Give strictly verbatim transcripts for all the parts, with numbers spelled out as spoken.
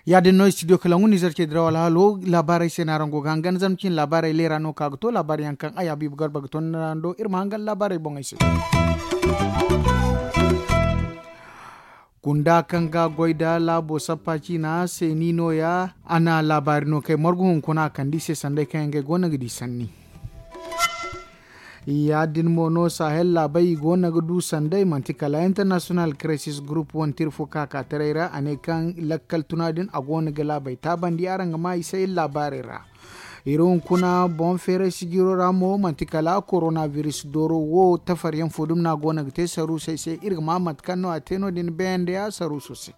Ya- din no studio kalangu nizer ce diraw alhaalo laabaarey se no araŋ go ga hangan zama cine laabaarey leera no ka ga to laabaari yaŋ kaŋ ay habiibu garba ga to ni ra do iri ma hangan laabaarey boŋey se. Kunda kaŋ ga goy nda laabo sappa ciina se ni no- ya a na laabaari no kay margu hunkuna a kande i se sanday kaŋ yaŋ ga ay go no ga di sanni. Ya- din mo no sahel laabey i go no ga du sanday manti kala international crisis group wane tira fo ka ka taray ra a ne kaŋ lakkal tuna din a go no ga laabey taabandi araŋ ga ma i se iri laabaarey ra. Iri hunkuna boŋ feeray sijiro ra mo manti kala koronabiris dooro wo tafar yaŋ fo dumi no a go no ga te saruusey se iri ga ma mate kaŋ no a te no- din beeyaŋ day a saruuso se.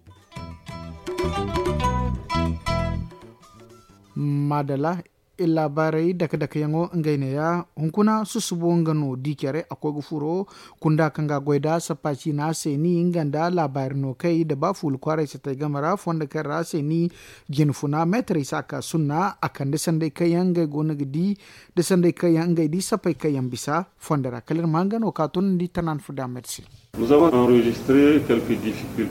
Maadala. Iri laabaarey dake dake yaŋo ngey neeya hunkuna susubo nga no di care a koy ga furo kunda kaŋ ga a goy nda sappa ciina se ni nga nda laabaari no kay nda ba fuula kwaaray satay game ra fondo kaŋ ra se ni jine funa meetarey se a ka sunna a kande sanday kaŋ yaŋ ngey go no ga di nda sanday kaŋ yaŋ ngey di sappey kaŋ yaŋ bisa fondo ra kala iri ma nga no ka tunandi tanaan fo da a mate se.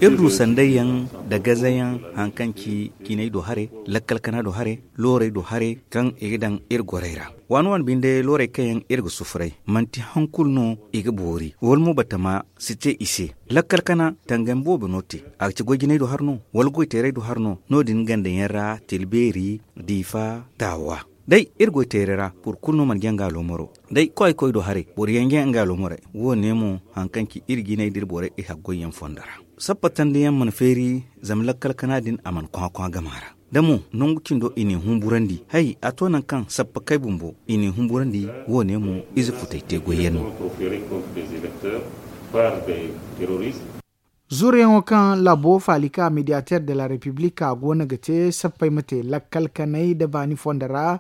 Iri du sanday yaŋ nda gaza yaŋ hari kaŋ ci jinay do hare lakkal kana do hare loorey do hare kaŋ i ga daŋ iri gorey ra. Waani waani binde loorey kaŋ yaŋ iri ga sufuray manti hari kulu no i ga boori wala mo batama si te i se. Lakkal kana tangam boobo no te a ga ci goy jinay do hare no wala goy teeray do hare no no- din ganda yaŋ ra tilbeeri diifa taawa. Day iri goy teeray ra boro kulu no mana jaŋ ga aloomaro day koy koy do haray boro yaŋ jaŋ nga aloomaro. Wo- ne mo hari kaŋ ci iri jinay da iri borey iri haggoy yaŋ fondo ra. Sappa tandi yaŋ mana feeri zama lakkal kana din a mana kwakwa gama ra da mo nangu cindo i n'i humburandi hay a to nangu kaŋ sappa kay bumbo i n'i humburandi. Wo- ne mo ize futay te goy yaŋ no. Zuruyaŋo kaŋ laabo faalika mediateer de la repiblik a go no ga te sappey ma te lakkal kanay nda baani fondo ra.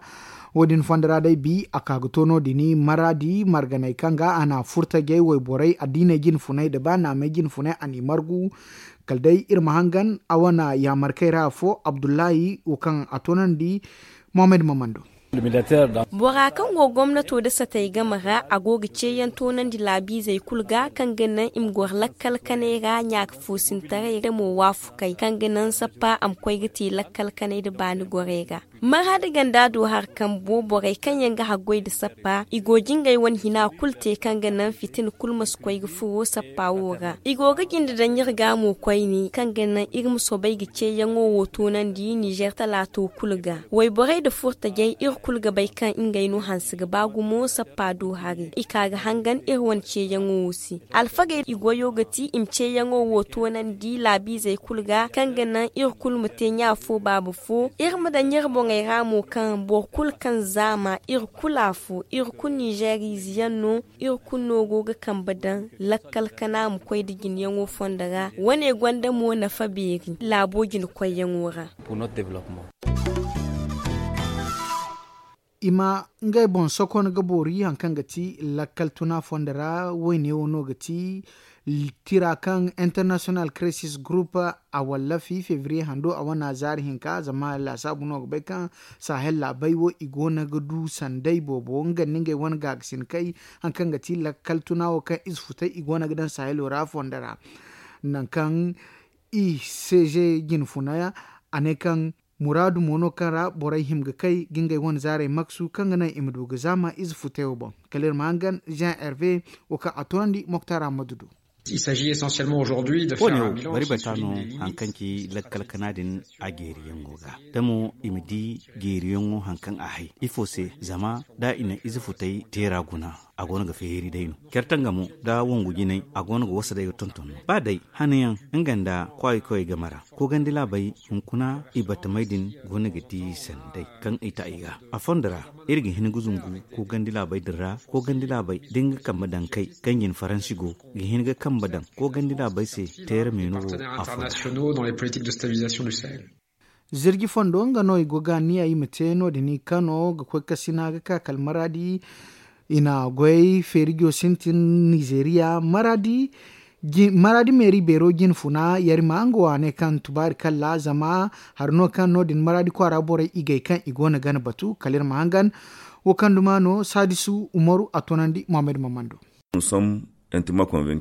Wo- din fondo ra day bi a ka ga to no- din maraadi marganey kaŋ ga a na furtajey wayborey addiiney jine funay nda ba naamey jine funay a n'i margu. Kala day iri ma hangan a wane yaamarkey ra afo abdullahi wo kaŋ a toonandi. Mohamed mamando. Bora kaŋ go gomnato nda satey game ra a go ga ceeyaŋ toonandi laabiizey kulu ga kaŋ ga naŋ i ma goro lakkal kanay ra ɲaaka foosintaray da mo waafukey kaŋ ga naŋ sappa a ma koy ga te lakkal kanay nda baani gorey ra. Maraadi ganda do hari kambo borey kaŋ yaŋ ga haggoy nda sappa i go jingey wane hina kulu te kaŋ ga naŋ fitina kulu ma si koy ga furo sappa wo ra. I go ga jinde daŋ iri ga mo koyne kaŋ ga naŋ iri ma soobay ga ceeyaŋo wo toonandi nizer talaato kulu ga. Wayborey nda furtajey iri kulu ga bay kaŋ ngey no hanse ga ba gumo sappa do hari i ka ga hangan iri wane ceeyaŋo wo se. Alfagey i goyo ga ti i ma ceeyaŋo wo toonandi laabiizey kulu ga kaŋ ga naŋ iri kulu ma te ɲa fo baaba fo iri ma daŋ iri boŋey ra mo kaŋ boro kulu kaŋ zaama iri kulu afo iri kulu nizer ize yaŋ no. Iri kulu no go ga kambe daŋ lakkal kana ma koy nda jineyaŋo fondo ra wane gonda mo nafa beeri laabo jine koyyaŋo ra. I ma ngey boŋ sokon ga boori hari kaŋ ga ti lakkal tuna fondo ra wayne wo no ga ti tira kaŋ international crisis group a wallafi febriye hando a wane zaari hinka zama laasaabu no ga bay kaŋ sahel laabey wo i go no ga du sanday boobo nga nda ngey wane gaagasin kay hari kaŋ ga ti lakkal tuna wo kaŋ ize futay i go no ga daŋ sahelo ra fondo ra. Nangu kaŋ i seeze jine funa a ne kaŋ muraadu mo no kaŋ ra borey hima ga kay ga ngey wane zaarey maksu kaŋ ga naŋ i ma du ga zaama ize futay wo boŋ. Kala iri ma hangan jean herve wo kaŋ a toonandi moktar ammadu do. Wo- ne wo bari bata no hari kaŋ ci lakkal kana din a jeeriyaŋo ga da mo i ma di jeeriyaŋo hari kaŋ a hay ifo se zama da i na ize futay teera guna a go no ga feeri day no. Care tanga mo da wangu jinay a go no ga wasa day ga tonton no ba day hanayaŋ nga nda kwaayi koyey game ra koogandi laabey hunkuna i batamey din go no ga di sanday kaŋ i ta i ga a fondo ra. Iri ga hin ga zumbu koogandi laabey din ra koogandi laabey da nga kambe daŋ kay kaŋ jin faransi go ga hin ga kambe daŋ koogandi laabey se teera meeno wo a fondo ra. Zirji fondo nga no i go ga niya i ma te no- din i kano ga koy kasina ga ka kala maraadi. I na goy feerijo sintin nizeeriya maraadi. Maraadi meeri beero jine funa yarima nga waaney kaŋ tubaari kalla zama hari no kaŋ no- din maraadi kwaara borey igey kaŋ i go no ga ni batu kala iri ma hangan. Wo kaŋ duma no saadisu umaru a toonandi muhammad mamando.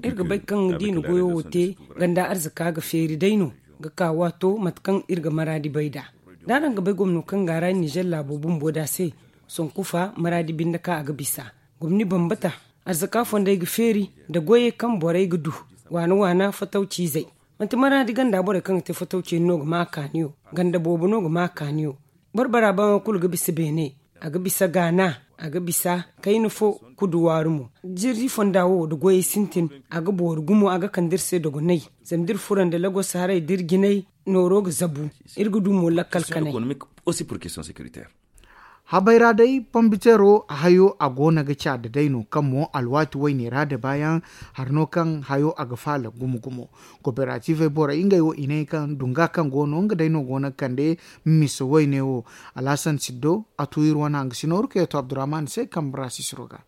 Iri ga bay kaŋ da i na goyo wo te ganda arzaka ga feeri day no ga ka waato mate kaŋ iri ga maraadi bay nd'a. Da araŋ ga bay gomno kaŋ ga a ra ninzeer laabo bumbo nd'a se sonkufa maraadi binde kaŋ a ga bisa gomni bambata. Arzaka fondey ga feeri nda goyey kaŋ borey ga du waana waana fatawciizey. Manti maraadi ganda borey kaŋ ga te fatawci yaŋ no ga ma a kaaniyo ganda boobo no ga ma a kaaniyo. Boro bara baŋo kulu ga bisa beene, a ga bisa gaana, a ga bisa kayna fo kudu waaru mo. Jirri fonda wo nda goyey sintin a ga boori gumo a ga kande iri se dogonay. Zama da iri furo nda lagos haray da iri jinay nooro ga zabu. Iri ga du mo lakkal kanay. Habay ra day pombiteero hayo a go no ga caada day no kaŋ mo alwaati wayne ra da baayaŋ hari no kaŋ hayo a ga faala gumo gumo. Kooperativey borey ngey wo i ne kaŋ dunga kaŋ go no nga day no go no ga kande misa wayne wo. Alhasan siddo a tu iri wane hangasino rukeeto abdurrahman se kambe ra sisiro ga.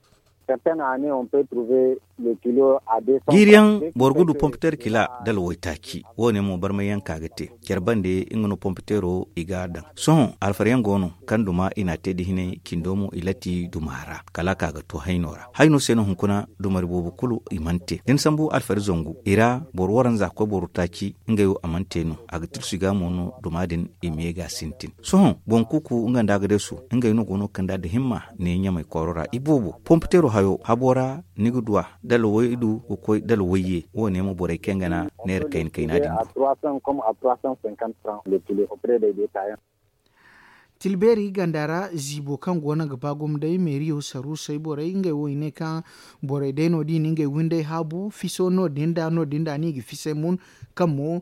Jiiri yaŋ boro ga du pompiteer kila dala waytaaci. Wo- ne mo barmay yaŋ ka ga te care bande nga no pompiteero i ga a daŋ. Sohõ alfar yaŋ go no kaŋ duma i n'a te da hinay cindo mo i latti duma ra kala a ka ga to hayno ra. Hayno se no hunkuna dumari boobo kulu i mana te da ni sambu alfar zangu i ra boro waranza koy boro taaci. Ngey wo a mana te no a ga tirsu i ga mo no duma din i me ga sintin. Sohõ boŋ kuuku nga nda agadeesu ngey no go no ga kand'a da himma ne ɲamay kooro ra iboobo pompiteero hayo habo ra ni ga du a dala waydu ga koy dala wayye. Wo- ne mo borey kaŋ ga na neera kayna kayna din do. Tilbeeri ganda ra ziibo kaŋ go no ga ba gumo day meeriyo saruusey borey ngey wo i ne kaŋ borey day no- din i na ngey windey haabu fiso no- din nda no- din nda no i ga fisay mun. Kaŋ mo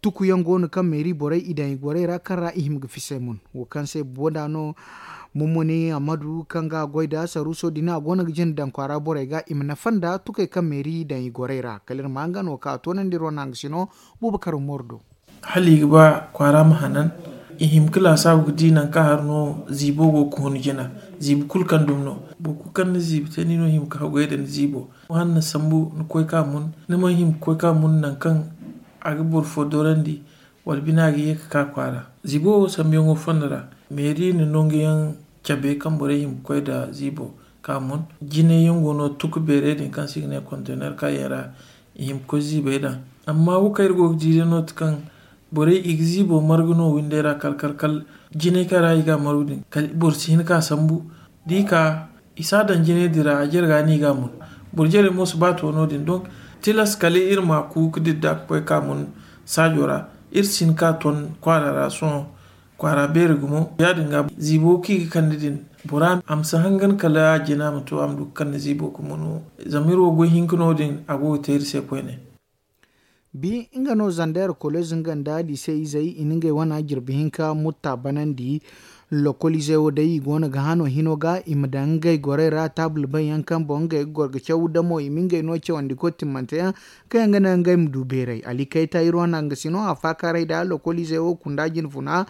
tuku yaŋ go no kaŋ meeri borey i daŋ i gorey ra kaŋ ra i hima ga fisay mun. Wo kaŋ se bumbo nd'a no mummuni ammadu kaŋ ga a goy nda saruuso din a go no ga jina daŋ kwaara borey ga i ma nafa nda tukey kaŋ meeri i daŋ i gorey ra kala iri ma hangan wo kaŋ a toonandi iri wane hangasino. Buuba karo mooro do. Hala i ga ba kwaara ma hanan i hima ga laasaabu ga di nangu kaŋ hari no ziibo go ga hun jina. Ziibi kulu kaŋ dumi no boro kulu kaŋ ni ziibi te ni no hima ga hagu yaŋ da ni ziibo. Hala ni sambu ni koy ka mun ni mana hima ga koy ka mun nangu kaŋ a ga boro fo dorandi wala bina ga ye ga ka kwaara. Ziibo wo sambuyaŋo fondo ra meeri na nangu yaŋ cabe kaŋ borey hima ga koy nda ziibo ka mun. Jinay yaŋ go no tuku beerey din kaŋ se i ga ne kontener kaŋ yaŋ ra i hima ga koy ziibey daŋ. Amma wo kaŋ iri go ga di day no- din kaŋ borey i ga ziibo margu no windey ra kala kala kala jinay kaŋ ra i ga a margu din kala boro si hin ka sambu da i ka i si a daŋ jinay din ra a jare ga no i ga a mun. Boro jarey mo si ba to no- din donk tilas kala iri ma ku ga didda ga koy ka mun saajo ra. Iri si hin ka ton kwaara ra sohõ kwaara beeri gumo ya- din ga ziibo kaŋ i ga kande din bora a ma si hangan kala a jina ma to a ma du ga kande ziibo ga munu. Zama iri wo goy hinka no- din a go ga te iri se koyne. Bi nga no zander koleez nga nda liise izey i na ngey wana jirbi hinka mutta banandi. Lokol izey wo day i go no ga hano hino ga i ma daŋ ngey gorey ra taabul bay yaŋ kaŋ boŋ ngey ga goro ga caw damo i ma ngey no cawandi koy timmante yaŋ kaŋ yaŋ ga naŋ ngey ma du beeray ali kayta iri wana nga sino a faakaaray da lokol izey wo kunda jine funa.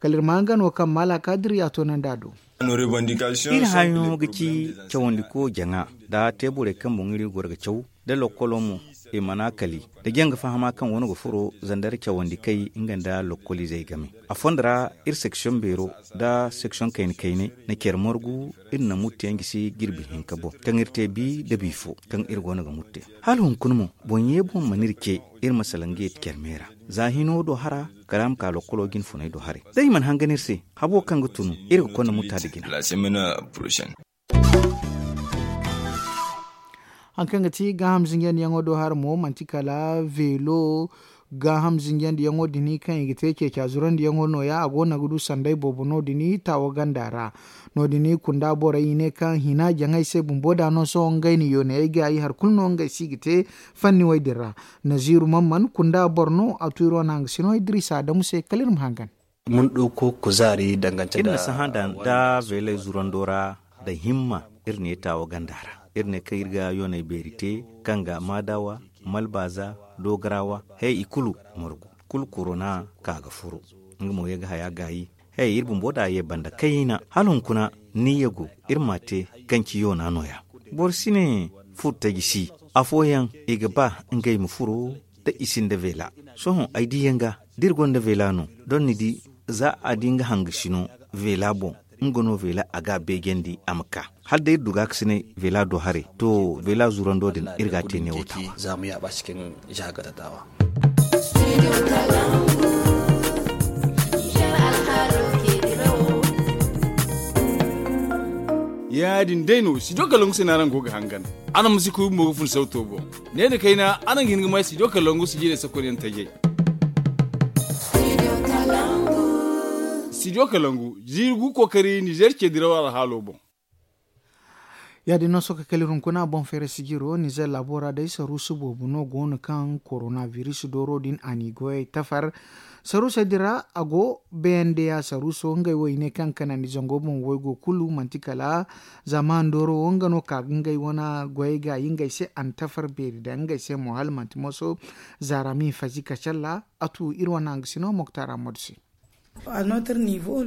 Kala iri ma nga no kaŋ maala kaadiri ya toonandi a do. Iri hayo ga ci cawandi ko jaŋa da teeburey kaŋ boŋ iri ga goro ga caw da lokkolo mo i mana kali da jaŋ ga fahama kaŋ wano ga furo zandar cawandi kay nga nda lokkol izey game. Afo nda ra iri seksiyoŋ beero da seksiyoŋ kayna kayna na care margu iri na muttu yaŋ gisi jirbi hinka boŋ kaŋ iri te bi da bi fo kaŋ iri go no ga mutte. Hala hunkuna mo boŋ ye boŋ mana iri ce iri ma salaŋ ga ye care me ra za hino do hara kala a ma ka lokkolo jine funay do haray da i mana hangan iri se. Habo kaŋ ga tunu iri ga konda mutta nda jina. Hari kaŋ ga ti gaaham zinjandiyaŋo do hara mo manti kala veelo gaaham zinjandiyaŋo din kaŋ i ga te ceeca zurandiyaŋo nooya a go no ga du sanday boobo no- din taawo ganda ra. No- din kunda borey i ne kaŋ hina jaŋay se bumbo da no sohõ ngey na yoonayey gaayi hari kulu no ngey se i ga te fanniwey din ra. Naziiru man man kunda boro no a tu iri wane hangasino idiriisa adamu se kala iri ma hangan. Iri na sahã daŋ da veeley zurando ra da himma. Iri ne taawo ganda ra iri ne kaŋ iri ga yooney beeri te kaŋ ga maadawa malbaaza doogarawa he i kulu margu kulu korona ka ga furo. Nga mo ye ga haya gaayi he iri bumbo da a ye banda kayna hala hunkuna ni ye go iri ma a te kaŋ ci yoona nooya. Boro si ne Furo taji si afooyaŋ i ga ba ngey ma furo da i sinda veela. Sohõ ay diiyaŋ ga da iri gonda veela no, doŋ ni di za a di nga hangasi no veela boŋ, nga no veela a ga a beejandi a ma ka hala day iri du gaakasinay veela do haray. To veela zurando din iri ga a te neewo taawa. Ya- din day no studio kalangu se no araŋ go ga hangan. Araŋ ma si kuy bumbo ga fun sawto boŋ. Ne nda kayna araŋ ga hin ga may studio kalangu sijirey sakonyaŋ tajay. Studio kalangu ziiri gu kookari nizer ce diraw alhaalo boŋ. Ya- din no sohõ ka kala iri hunkuna boŋ feera sijiro nizer laabo ra day saruusu boobo no go no kaŋ korona biris dooro din a n'i goyey tafar. Saruusey din ra a go, bnda saruuso ngey wo i ne kaŋ kanandi zango boŋ waygo kulu manti kala zama ndooro wo nga no ka ga ngey wane goyey gaayi ngey se a na tafar beeri daŋ ngey se mo hala manti moso. Zaara ma i fazi kacalla a tu iri wane hangasino moktar ammadu se.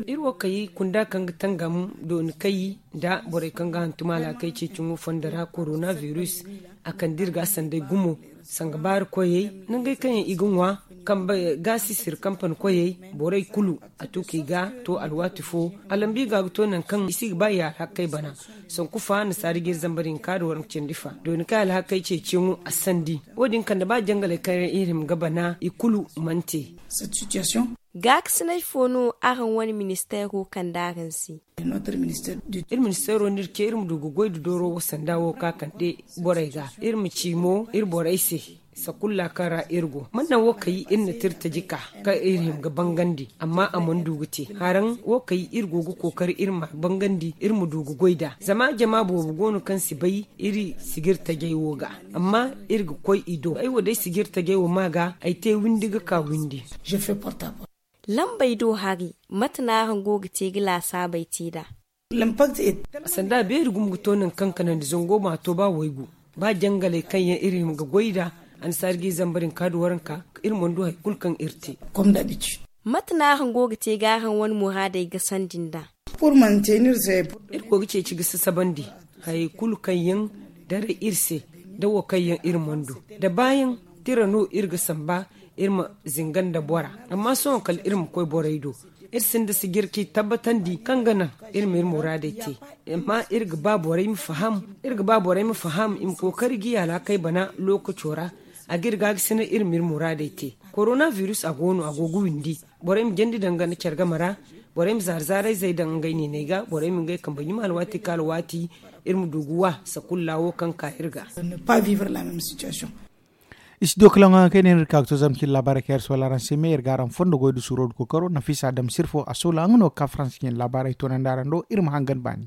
Iri wo kay kunda kaŋ ga tangam dooni kay nda borey kaŋ ga hantum alhakey ceeciŋo fondo ra korona biris. A kande iri ga sanday gumo sanga baari koyey nangey kaŋ yaŋ i ga ŋwa kambe gaasisir kampani koyey borey kulu a tu kaŋ i ga to alwaati fo. A lambu i ga ga to nangu kaŋ i si ga ba i alhakey bana. Sanku fa nasaara ga iri zamba din ka da waranka cindi fa dooni kaŋ alhakey ceeciyaŋo a sandi. Wo- din kande ba jangaley kaŋ iri hima ga bana i kulu mana te. Gaakasinay fo no araŋ wane ministeero kande araŋ se? Iri ministeero no iri ce iri ma du ga goy nda dooro wo sanda wo ka kande borey ga iri ma ci mo iri borey se. Sakulla kaŋ ra iri go mana naŋ wo kay iri na tirtaji ka kaŋ iri hima ga bangandi amma a mana du ga te haraŋ wo kay iri go ga kookari iri ma bangandi iri ma du ga goy nd'a zama jama boobo go no kaŋ si bay iri sijirtajey wo ga. Amma iri ga koy i do ay wo day sijirtajey wo ma ga ay te windi ga ka windi. Lambey do hari mate no araŋ go ga te ga laasaabey te nd'a? Sanda beeri gumo ga to nangu kaŋ kanandi zango ma to ba waygu ba jangaley kaŋ yaŋ iri hima ga goy nd'a. Annasaari ga i zamba din ka da waranka iri mana du hari kulu kaŋ iri te. Mate no araŋ go ga te ga araŋ wane muraadey gasandi nd'a? Iri go ga ceeci ga sasabandi hayey kulu kaŋ yaŋ daray iri se da wo kaŋ yaŋ iri mana du da baayaŋ tira no iri ga samba iri ma zinga nda bora. Amma sohõ kala iri ma koy borey do iri sinda sijir kaŋ i tabbatandi kaŋ ga naŋ iri ma iri muraadey te. Amma iri ga ba borey ma faham iri ga ba borey ma faham i ma kookari ga i alhakey bana lookaco ra. A ga iri gaagasinay iri ma iri muraadey te. Korona biris a go no a go ga windi. Borey ma jandi daŋ ganda care game ra. Borey ma zaara zaarayzey daŋ ngey niiney ga borey ma ngey kambe ɲuma alwaati ka alwaati. Iri ma du ga wa sakulla wo kaŋ ka iri ga. Studio kalaŋo yaŋ kaŋ i ne no iri ka ga to zama cine laabaarey kaŋ iri soola araŋ se me iri ga araŋ fondo goy nda suuro nda kookaro nafiisa adama sirfo a soola nga no ga ka faransa cine laabaarey toonandi araŋ do iri ma hangan baani.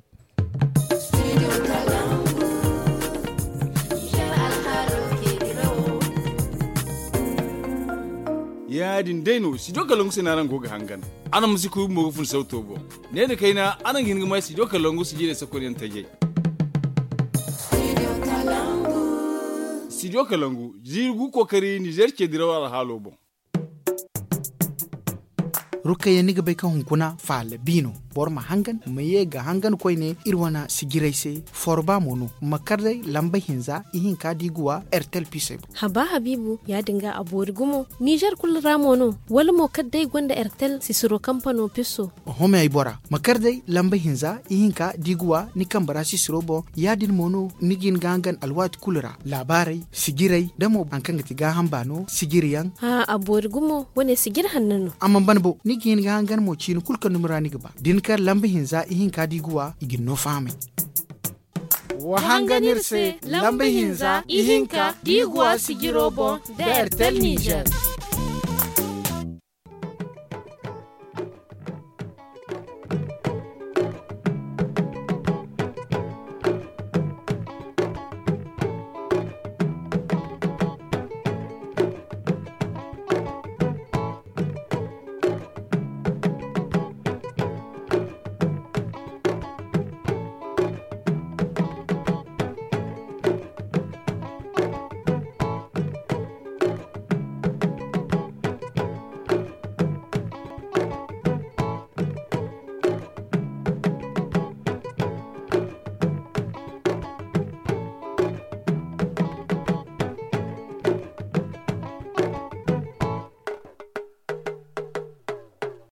Ya- din day no studio kalangu se no araŋ go ga hangan. Araŋ ma si kuy bumbo ga fun sawto boŋ. Ne nda kayna araŋ ga hin ga may studio kalangu sijirey sakonyaŋ tajay. Studio kalangu ziiri gu kookari nizer ce diraw alhaalo boŋ. Rukayya ni ga bay kaŋ hunkuna faala bi no. Boro ma hangan ma ye ga hangan koyne iri wane sijirey se. Forba mo no ma kar day lamba hinza ihinka da i ga wa ertel pisey boŋ. Haba habiibu ya- din ga a boori gumo. Nizer kulu ra mo no wala mo kala day gonda ertel sisiro kampano piso? Oho me ay bora ma kar day lamba hinza ihinka da i ga wa ni kambe ra sisiro boŋ. Ya- din mo no ni ga hin ga hangan alwaati kulu ra laabaarey sijirey da mo hari kaŋ ga ti gaaham baano sijiriyaŋ. A boori gumo wane sijiri hanno no. A mana ban bo ni ga hin ga hangan mo ciini kulu kaŋ dumi ra ni ga ba da ni kar lamba hinza ihinka da i ga wa i ga ni no fahamay. Wa hangan iri se lamba hinza ihinka da i ga wa sijiro boŋ da ertel nizer.